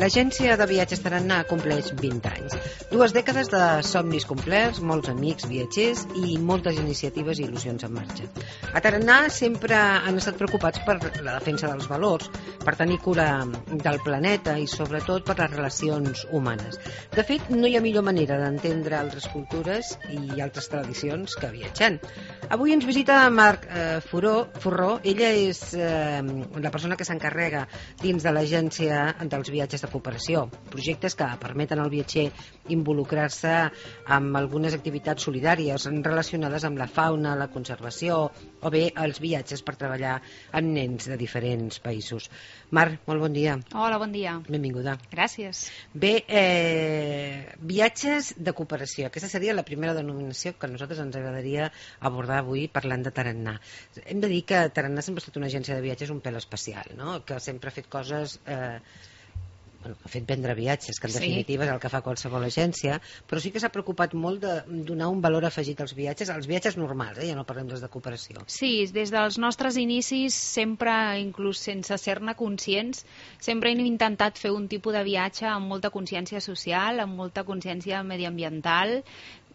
L'agència de viatges Tarannà compleix 20 anys. 2 dècades de somnis complerts, molts amics viatgers i moltes iniciatives i il·lusions en marxa. A Tarannà sempre han estat preocupats per la defensa dels valors, per tenir cura del planeta i sobretot per les relacions humanes. De fet, no hi ha millor manera d'entendre altres cultures i altres tradicions que viatjant. Avui ens visita Marc Forró. Ella és la persona que s'encarrega dins de l'agència dels viatges de cooperació, projectes que permeten al viatger involucrar-se amb algunes activitats solidàries relacionades amb la fauna, la conservació o bé els viatges per treballar amb nens de diferents països. Marc, molt bon dia. Hola, bon dia. Benvinguda. Gràcies. Bé, viatges de cooperació. Aquesta seria la primera denominació que a nosaltres ens agradaria abordar avui parlant de Tarannà. Hem de dir que Tarannà sempre ha estat una agència de viatges un pèl especial, no? Que sempre ha fet coses... ha fet vendre viatges, que en definitiva és el que fa qualsevol agència, però sí que s'ha preocupat molt de donar un valor afegit als viatges normals, ja no parlem dels de cooperació. Sí, des dels nostres inicis, sempre, inclús sense ser-ne conscients, sempre hem intentat fer un tipus de viatge amb molta consciència social, amb molta consciència mediambiental.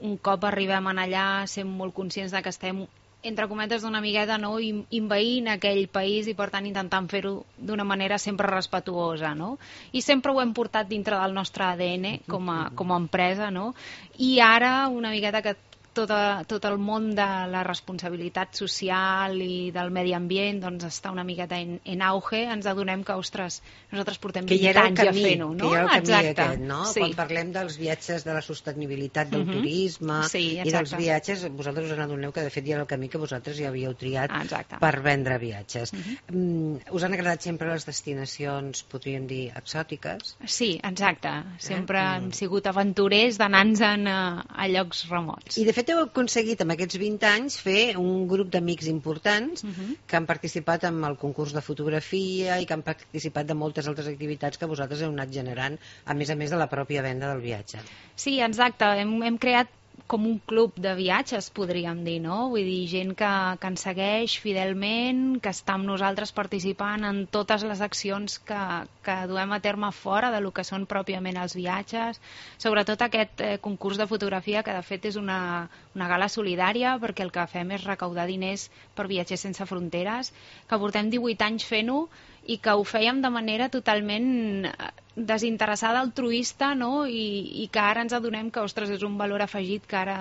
Un cop arribem allà, sent molt conscients de que estem entre cometes d'una amigueta, no? Invaint aquell país i per tant intentant fer-ho d'una manera sempre respetuosa, no? I sempre ho hem portat dintre del nostre ADN com a empresa, no? I ara una miqueta que tot el món de la responsabilitat social i del medi ambient doncs està una miqueta en auge, ens adonem que, ostres, nosaltres portem 20 anys ja fent-ho, no? Que hi ha el camí aquest, no? Sí. Quan parlem dels viatges de la sostenibilitat del turisme i dels viatges, vosaltres us n'adoneu que de fet hi ha el camí que vosaltres ja havíeu triat per vendre viatges. Us han agradat sempre les destinacions, podríem dir, exòtiques? Sí, exacte. Sempre hem sigut aventurers d'anar-nos-en a llocs remots. I de fet heu aconseguit amb aquests 20 anys fer un grup d'amics importants que han participat en el concurs de fotografia i que han participat de moltes altres activitats que vosaltres heu anat generant, a més de la pròpia venda del viatge. Sí, exacte. Hem creat com un club de viatges, podríem dir, no? Vull dir, gent que ens segueix fidelment, que està amb nosaltres participant en totes les accions que duem a terme fora de lo que són pròpiament els viatges. Sobretot aquest concurs de fotografia, que de fet és una gala solidària, perquè el que fem és recaudar diners per Viatgers Sense Fronteres, que portem 18 anys fent-ho i que ho fèiem de manera totalment desinteressada, altruista, no? I que ara ens adonem que, ostres, és un valor afegit que ara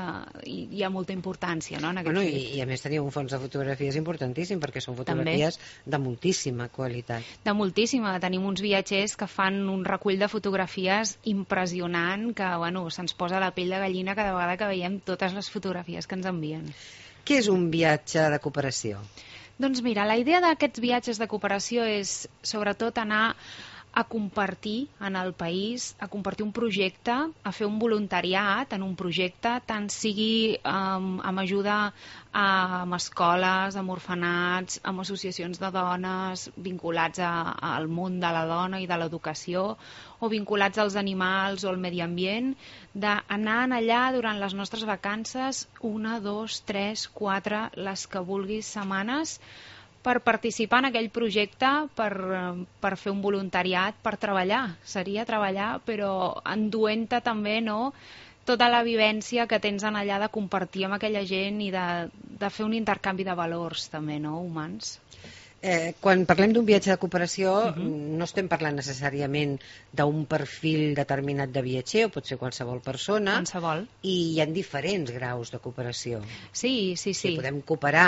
hi ha molta importància, no? En aquest fet. I a més teniu un fons de fotografies importantíssim, perquè són fotografies de moltíssima qualitat. De moltíssima. Tenim uns viatgers que fan un recull de fotografies impressionant, que se'ns posa la pell de gallina cada vegada que veiem totes les fotografies que ens envien. Què és un viatge de cooperació? Doncs mira, la idea d'aquests viatges de cooperació és sobretot anar a compartir en el país, a compartir un projecte, a fer un voluntariat en un projecte, tant sigui amb ajuda amb escoles, amb orfenats, amb associacions de dones vinculats al món de la dona i de l'educació, o vinculats als animals o al medi ambient, d'anar allà durant les nostres vacances, 1, 2, 3, 4, les que vulguis setmanes, per participar en aquell projecte, per fer un voluntariat, per treballar. Seria treballar, però enduent-te també, no?, tota la vivència que tens en allà de compartir amb aquella gent i de fer un intercanvi de valors també, no?, humans. Quan parlem d'un viatge de cooperació no estem parlant necessàriament d'un perfil determinat de viatger, o pot ser qualsevol persona, i hi ha diferents graus de cooperació. Sí. Podem cooperar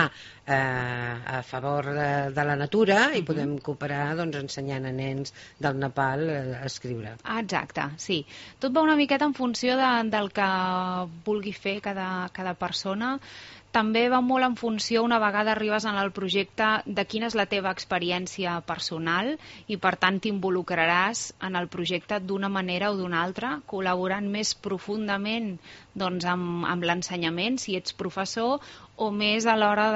a favor de la natura i podem cooperar ensenyant a nens del Nepal a escriure. Exacte, sí. Tot va una miqueta en funció del que vulgui fer cada persona. També va molt en funció, una vegada arribes en el projecte, de quina és la teva experiència personal i, per tant, t'involucraràs en el projecte d'una manera o d'una altra, col·laborant més profundament amb l'ensenyament, si ets professor, o més a l'hora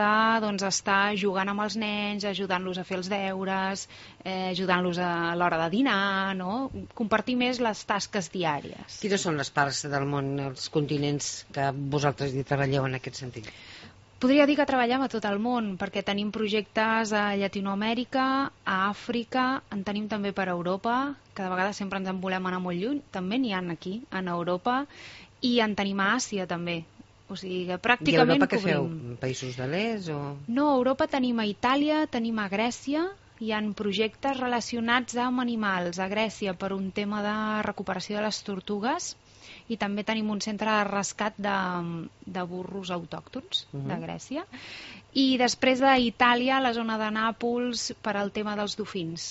d'estar jugant amb els nens, ajudant-los a fer els deures, ajudant-los a l'hora de dinar, no? Compartir més les tasques diàries. Quines són les parts del món, els continents que vosaltres hi treballeu en aquest sentit? Podria dir que treballem a tot el món, perquè tenim projectes a Llatinoamèrica, a Àfrica, en tenim també per Europa, que de vegades sempre ens en volem anar molt lluny, també n'hi ha aquí, en Europa, i en tenim a Àsia també. O sigui que pràcticament cobrim. I a Europa què cobrim. feu? Països de l'est o...? No, a Europa tenim a Itàlia, tenim a Grècia, hi ha projectes relacionats amb animals a Grècia per un tema de recuperació de les tortugues, i també tenim un centre de rescat de burros autòctons de Grècia, i després d'Itàlia, la zona de Nàpols, per al tema dels dofins.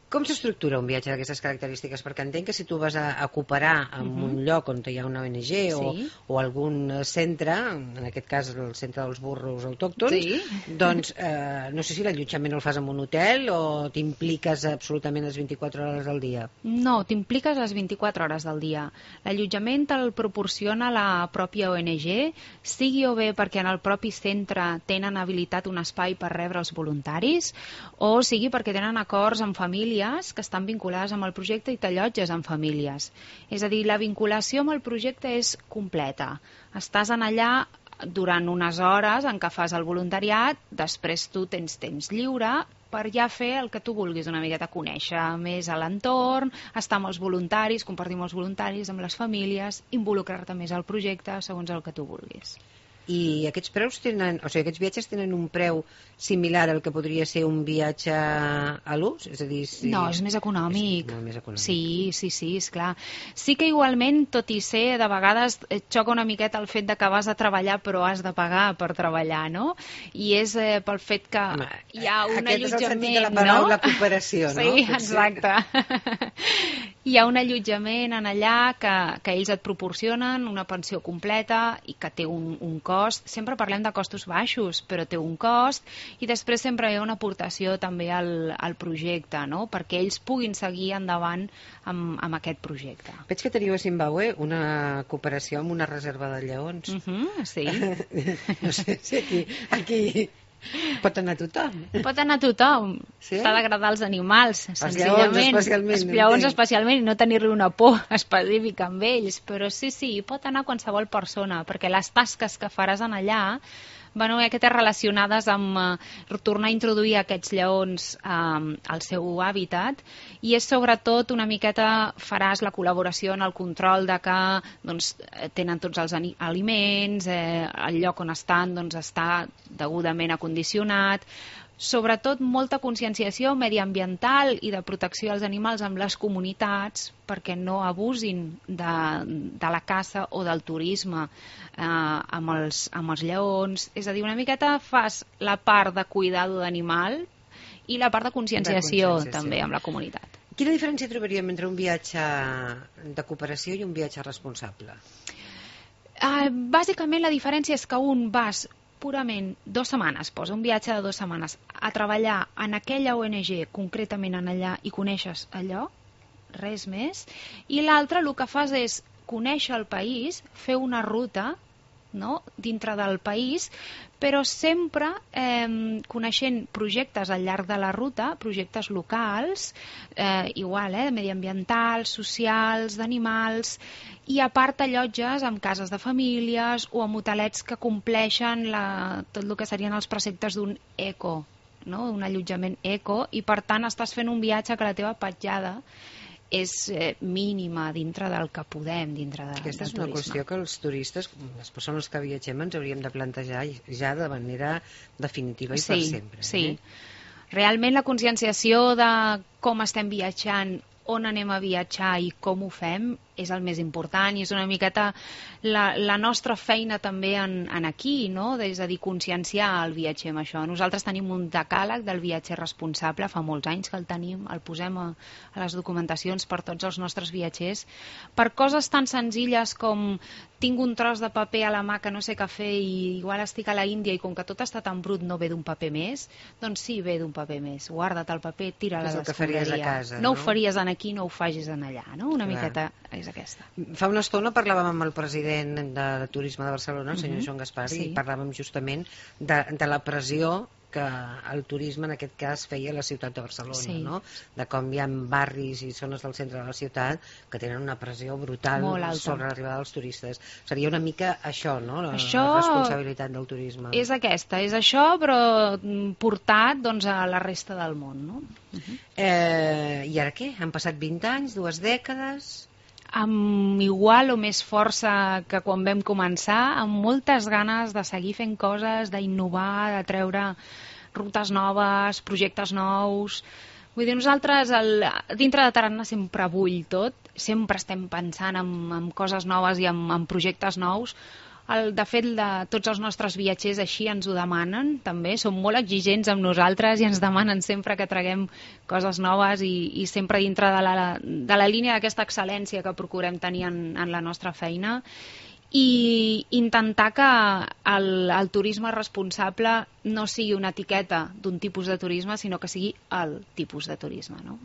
Com s'estructura un viatge d'aquestes característiques? Perquè entenc que si tu vas a cooperar en un lloc on hi ha una ONG o algun centre, en aquest cas el centre dels burros autòctons, doncs no sé si l'allotjament el fas en un hotel o t'impliques absolutament les 24 hores del dia. No, t'impliques les 24 hores del dia. L'allotjament te'l proporciona la pròpia ONG, sigui o bé perquè en el propi centre tenen habilitat un espai per rebre els voluntaris, o sigui perquè tenen acords amb famílies que estan vinculades amb el projecte i t'allotges amb famílies. És a dir, la vinculació amb el projecte és completa. Estàs en allà durant unes hores en què fas el voluntariat, després tu tens temps lliure per ja fer el que tu vulguis, una miqueta conèixer més a l'entorn, estar amb els voluntaris, compartir amb els voluntaris, amb les famílies, involucrar-te més al projecte segons el que tu vulguis. I aquests preus tenen, o sigui, aquests viatges tenen un preu similar al que podria ser un viatge a l'ús? És a dir, no, és més econòmic. És molt més econòmic. Sí, esclar. Sí que igualment, tot i ser, de vegades et xoca una miqueta el fet de que vas a treballar però has de pagar per treballar, no? I és pel fet que hi ha un allotjament... Aquest és el sentit de la paraula cooperació, no? Sí, exacte. Hi ha un allotjament en allà que ells et proporcionen, una pensió completa i que té un cost. Sempre parlem de costos baixos, però té un cost, i després sempre hi ha una aportació també al projecte, no? Perquè ells puguin seguir endavant amb aquest projecte. Veig que teniu a Zimbabue una cooperació amb una reserva de lleons. Sí. No sé si aquí pot anar tothom. Pot anar tothom. Sí? T'ha d'agradar els animals, senzillament. Els lleons especialment, i no tenir-li una por específica amb ells, però sí, pot anar qualsevol persona, perquè les tasques que faràs en allà van aquestes relacionades amb tornar a introduir aquests lleons al seu hàbitat, i és sobretot una miqueta faràs la col·laboració en el control de que tenen tots els aliments, el lloc on estan està degudament acondicionat, sobretot molta conscienciació mediambiental i de protecció als animals amb les comunitats perquè no abusin de la caça o del turisme amb els lleons. És a dir, una miqueta fas la part de cuidado d'animal i la part de conscienciació també amb la comunitat. Quina diferència trobaríem entre un viatge de cooperació i un viatge responsable? Bàsicament la diferència és que un vas purament 2 setmanes, posa un viatge de 2 setmanes a treballar en aquella ONG, concretament en allà, i coneixes allò, res més, i l'altre el que fas és conèixer el país, fer una ruta dintre del país, però sempre coneixent projectes al llarg de la ruta, projectes locals, mediambientals, socials, d'animals, i a part allotges amb cases de famílies o amb hotelets que compleixen tot el que serien els preceptes d'un eco, un allotjament eco, i per tant estàs fent un viatge que la teva petjada és mínima dintre del que podem, dintre del turisme. Aquesta és una qüestió que els turistes, les persones que viatgem, ens hauríem de plantejar ja de manera definitiva i per sempre. Sí. Realment la conscienciació de com estem viatjant, on anem a viatjar i com ho fem és el més important, i és una miqueta la nostra feina també en aquí, és a dir, conscienciar el viatger amb això. Nosaltres tenim un decàleg del viatger responsable, fa molts anys que el tenim, el posem a les documentacions per tots els nostres viatgers, per coses tan senzilles com tinc un tros de paper a la mà que no sé què fer i igual estic a la Índia i com que tot està tan brut no ve d'un paper més, doncs sí, ve d'un paper més, guarda't el paper, tira-la a l'escombraria. No ho faries aquí, no ho facis en allà, una miqueta és aquesta. Fa una estona parlàvem amb el president de Turisme de Barcelona, el senyor Joan Gaspar, i parlàvem justament de la pressió que el turisme en aquest cas feia la ciutat de Barcelona, Sí. no? De com hi ha barris i zones del centre de la ciutat que tenen una pressió brutal Molt alta. sobre l'arribada dels turistes. Seria una mica això, no? La Això responsabilitat del turisme. És aquesta, és això, però portat doncs, a la resta del món, no? I ara què? Han passat 20 anys, 2 dècades... Amb igual o més força que quan vam començar, amb moltes ganes de seguir fent coses, d'innovar, de treure rutes noves, projectes nous. Vull dir, nosaltres dintre de Tarannà sempre bull tot, sempre estem pensant en coses noves i en projectes nous. De fet, tots els nostres viatgers així ens ho demanen, també. Són molt exigents amb nosaltres i ens demanen sempre que traguem coses noves i sempre dintre de la línia d'aquesta excel·lència que procurem tenir en la nostra feina i intentar que el turisme responsable no sigui una etiqueta d'un tipus de turisme, sinó que sigui el tipus de turisme, no?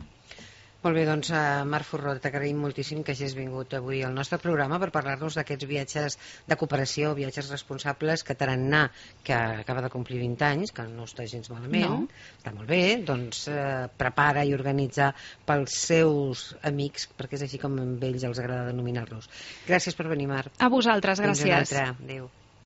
Molt bé, doncs, Mar Forró, t'agraïm moltíssim que hagis vingut avui al nostre programa per parlar-nos d'aquests viatges de cooperació, viatges responsables que Tarannà, que acaba de complir 20 anys, que no està gens malament, està molt bé, doncs prepara i organitza pels seus amics, perquè és així com a ells els agrada denominar-los. Gràcies per venir, Mar. A vosaltres, gràcies. Fins una altra. Adéu.